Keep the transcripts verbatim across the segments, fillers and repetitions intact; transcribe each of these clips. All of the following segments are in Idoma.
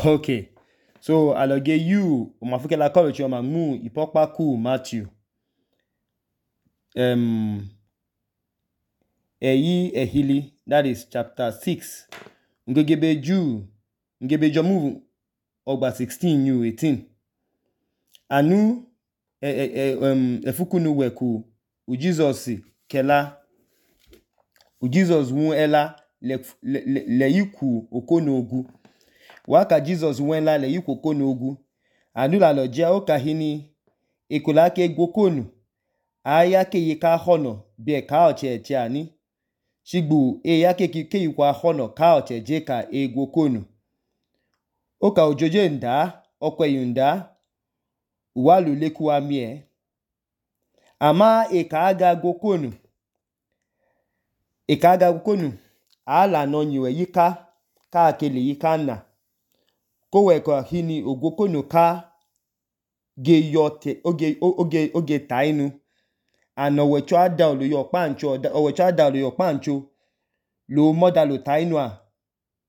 Okay. So aloge you umafukela college yoma mu ipokpa ku Matthew. Um Eyi ehili, that is chapter six. Ngegebe Jew, ngebe jomu ogba sixteen you eighteen. Anu e, e, e, um, efukunu weku u Jesus kela u Jesus wu ela le, le, le, le yiku okonogu. Waka Jesus wela le yiku okonogu. Anu la lojia okahini ekola ke gokonu. Aya ke yika hono be ka oche eche ani. Shigbu e ya ke ke yikwa hono ka oche je ka e gokonu. Oka ojoje nda, okwe yunda, uwalu leku amie. Ama e ka aga gokonu. E ka aga gokonu. Ala no nyiwe yika, ka akele yika na. Kowe kwa hini ogokonu ka ge yote, oge, oge, oge tainu. Ano wecho ada olu yo pancho, wecho ada olu yo pancho. Lo moda lo tainu a.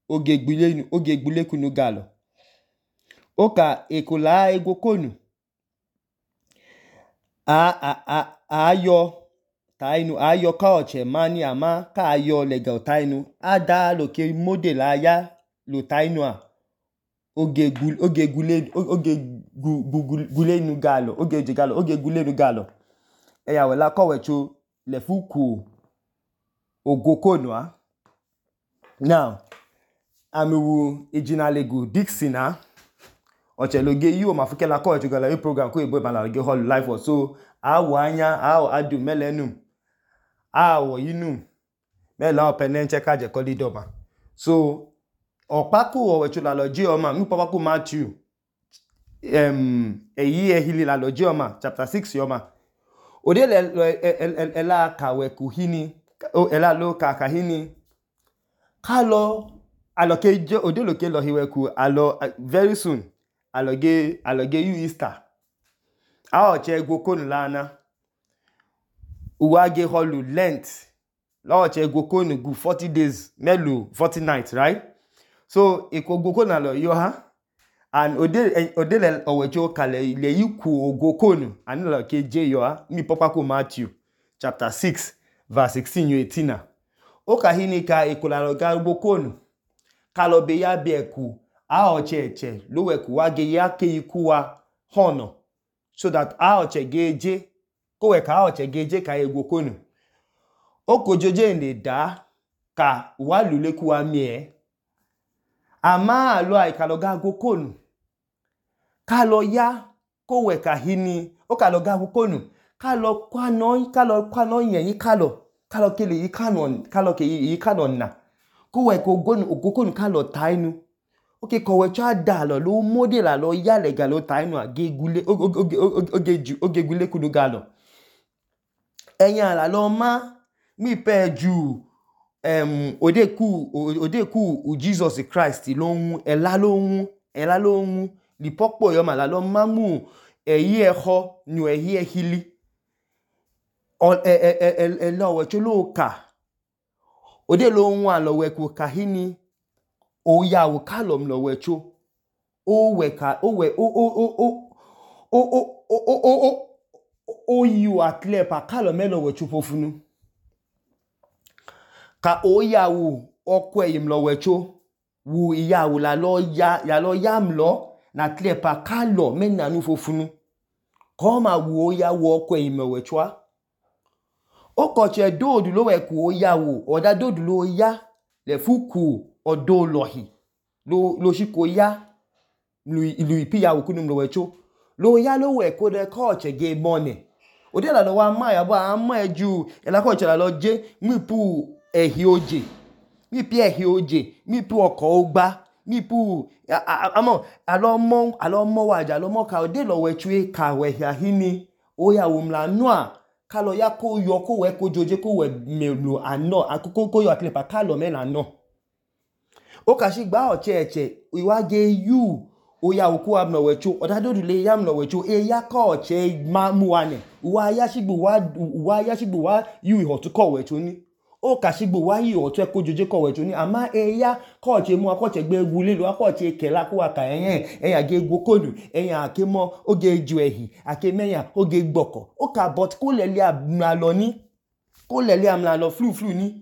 Oge gbule, oge gbule kunu galo. Oka ekola egokonu. A, a, a, a ayo tainu, a ayo ka oche mani ama ka ayo lega tainu. Ada lo ke model aya lo tainu a. Oge gule, oge gule, oge gule nu galo, oge je galo, oge gule nu galo. Eya wela kowecho le fuku ogokonu a. Now, amiwu ejinalegu Dixon a. Oche loge yu mafukela kowecho gala yu program ko ebo bala loge hall life or so. Awo anya, awo adu melenum. Awo yinum. Mela openen cheka je kolidoma. So, Opaku owecho la loji oma, mi papaku Matthew. Um, eyi ehili la loji oma, chapter six yoma. Ode ela kawe kuhini, ela lo kakahini. Kalo, aloke, ode loke lo hiweku, alo, very soon, aloge, aloge yu Easter. A oche gokonu lana. Uwage holu Lent. La oche gokonu gu forty days, melu forty nights, right? So, eko gokonu alo yo ha. And ode, ode le owecho kale le yiku ogokonu. Ani la ke je yo ha. Mi popako Matthew, chapter six, verse sixteen, eighteen. Oka hini ka eko la loga gokonu. Kalo be ya beku. A oche eche. Lo weku wage ya ke yiku wa hono. So that a oche geje. Kowe ka a oche geje ka egokonu. Oko joje nde da. Ka walu leku amie. Ama alo a ikaloga gokonu. Kalo ya kowe ka hini. O kalo ga gokonu. Kalo kwa noi, kalo kwa noi yenyi kalo. Kalo kele yi kanon, kalo ke yi kanon na. Kowe ko gonu, gokonu kalo tainu. Oke kowe cha da lo, lo model lo ya lega lo tainu a. Ge gule, oge, oge, oge, oge gule kudu galo. Enya la lo ma, mi pe ju, um, ode ku, ode ku u Jesus Christ lo nwu, ela lo nwu, ela lo nwu, li pokpo yoma la lo ma mu, eyi eho, nu eyi ehili. O, e, e, e, e, e, lo wecho lo ka. Ode lo nwu a lo weku kahini, o ya u kalom lo wecho. O weka, o we, o, o, o, o, o, o, o, o, o, o, o yu atle pa kalome lo wecho fofunu. Ka o ya u okwe yim lo wecho. Wu ya u la lo ya, ya lo yam lo, na tle pa kalo men nanu fofunu. Koma wu o ya u okwe yim lo wecho. Okoche dodu lo weku o ya u, oda dodu lo ya, le fuku odo lohi. Lo, lo shiko ya, lui, lui pi ya u kunum lo wecho. Lo ya lo weku de koche ge money. Ode la lo wa ma ya bo ama eju, ela koche la lo je, mi pu ehi oje. Mi pi ehi oje, mi pu oko ogba, mi pu, amo, alo mo, alo mo waja, alo mo ka ode lo wechu e ka we ya hini. O ya u mla noa. Kalo ya ko yo ko we ko joje ko we melu ano akoko ko yo atlepa kalo me na no. O ka shi gba oche eche iwage yu o ya oku am no wecho odado dule yam no wecho e ya ka oche ma mu ane wa ya shigbu wa wa ya shigbu wa yu ho to ko wecho ni o kashigbo wa yi otu ekojoje kowecho ni ama eya ko che mu ko che gbe egu lelu ko che kela ko aka eyan eyan ge gokonu eyan ake mo oge ju ehi ake meyan oge gboko o ka but ko lele amla ni ko lele amla lo flu flu ni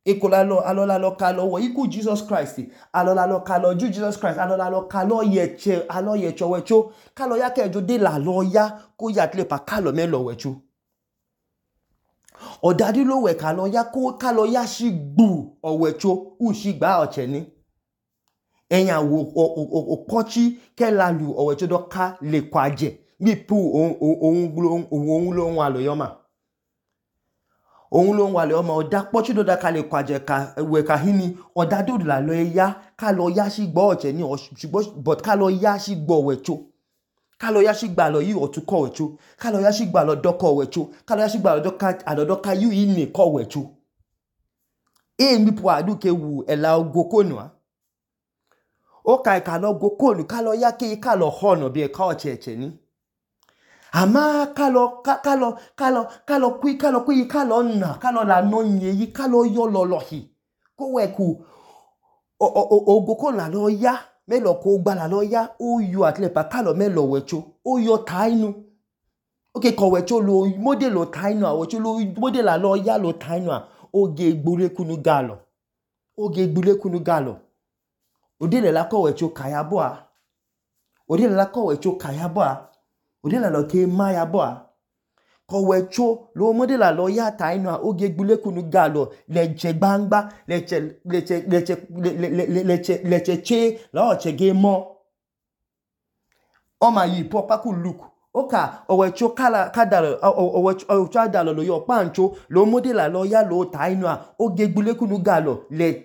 ekola lo alola lo ka lo wo iku Jesus Christ alola lo ka lo ju Jesus Christ alola lo ka lo yeche alo yecho wecho ka lo ya kejo de la lo ya ko ya tle pa ka lo me lo wecho odadi lo we ka lo ya ko ka lo ya shigbu owecho u shigba oche ni eyan wo okochi ke la lu owecho do ka le kwaje bi pu ohun ohun lo wa lo yo ma ohun lo wa lo ma oda pochi do da ka le kwaje ka we ka hini oda do la lo ya ka lo ya shigbo oche ni shigbo but ka lo ya shigbo owecho ka lo ya shigba lo yi otu ko wecho ka lo ya shigba lo do ko wecho ka lo ya shigba lo do ka adodo ka yu ini ko wecho e mi pu adu ke wu ela ogokonu a o ka ka lo gokonu ka lo ya ke ka lo hono bi e ka ocheche ni ama ka lo ka lo ka lo ka lo kwi ka lo kwi ka lo na ka lo la no yin yi ka lo yo lo lo hi ko we ku ogokonu la lo ya me lo ko gba la lo ya o yo atle pa ka lo me lo wecho o yo tainu okay ko wecho lo model lo tainu a wecho lo model la lo ya lo tainu a oge gbure kunu galo oge gbure kunu galo odile la ko wecho kaya bo a odile la ko wecho kaya bo a odile la ke ma ya bo a ko wecho lo model la lo ya tainu a oge gbure kunu galo leche gbangba leche leche leche leche leche che la o che ge mo o ma yi po pa ku look oka owecho kala kadalo owecho owecho adalo lo yo pancho lo model la lo ya lo tainu a oge gbule kunu galo le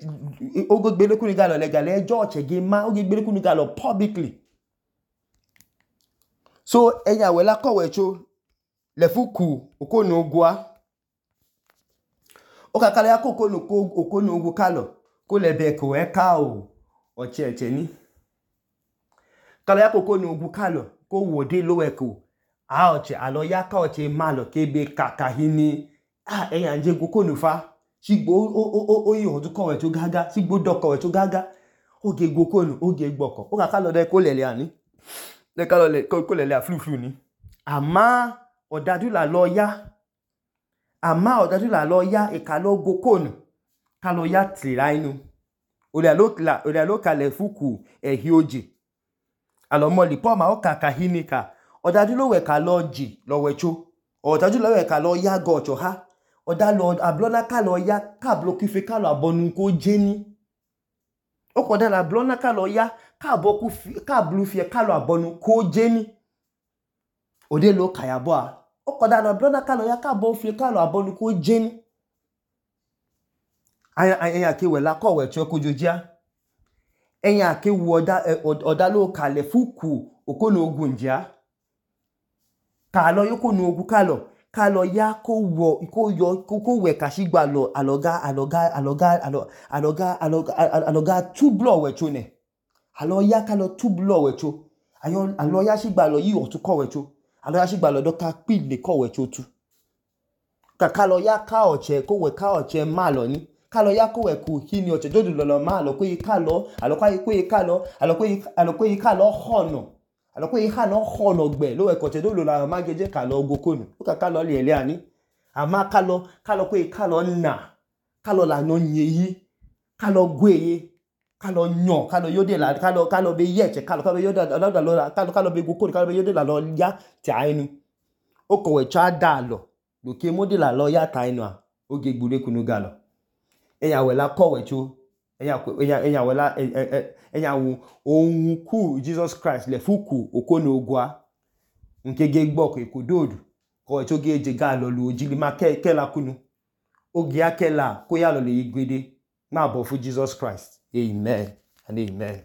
oge gbele kunu galo le gale ejo che ge ma oge gbele kunu galo publicly so eya we la ko wecho le fuku okonu ogwa oka kala ya kokonu ko okonu ogwo kalo ko le be ko e ka o o che che ni kala ya kokonu ogwo kalo ko wode lo eko a oche alo ya ka oche malo kebe kaka hini ah eyan je gokonu fa shigbo o o yi odu ko we to gaga shigbo do ko we to gaga oge gokonu oge gboko o ka kalo de ko lele ani le kalo le ko lele aflu flu ni ama odadu la lo ya ama odadu la lo ya e ka lo gokonu ka lo ya tira inu ole lo la ole lo ka le fuku e hi oje alo mo li po ma o ka ka hini ka odadu lo we ka lo ji lo wecho odadu lo we ka lo ya go ocho ha oda lo ablona ka lo ya ka bloku fe ka lo abonu ko jeni o ko da la ablona ka lo ya ka boku ka blu fe ka lo abonu ko jeni ode lo ka ya bo a o ko da la ablona ka lo ya ka bo fe ka lo abonu ko jeni aya aya ke we la ko wecho ko jojia eyan ke wu oda oda lo ka le fuku okonu ogunja ka lo yoko nu ogu ka lo ka lo ya ko wo ko yo ko we ka shigba lo aloga aloga aloga aloga aloga aloga two blow wecho ne alo ya ka lo two blow wecho ayo alo ya shigba lo yi otu ko wecho alo ya shigba lo do ka pin le ko wecho tu ka ka lo ya ka oche ko we ka oche ma lo ni ka lo ya ko we ku hini oche dodu lo lo ma lo ko yi ka lo alo ka yi ko yi ka lo alo ko yi alo ko yi ka lo hono alo ko yi ka lo hono gbe lo we ko che do lo la ma geje ka lo gokonu o ka ka lo le ele ani ama ka lo ka lo ko yi ka lo na ka lo la no yin yi ka lo gweye ka lo nyon ka lo yode la ka lo ka lo be yeche ka lo ka lo yode la la lo ka lo ka lo be gokonu ka lo be yode la lo ya ti ainu o ko we cha da lo lo ke modi la lo ya ta ainu a o ge gbure kunu galo eya we la ko wecho eya eya eya we la eya wo ohun ku Jesus Christ le fuku okonu ogwa nke ge gbo ko ikododu ko wecho ge je ga lo lu ojili ma ke ke la kunu oge akela ko ya lo le igbede ma bo fu Jesus Christ amen and amen.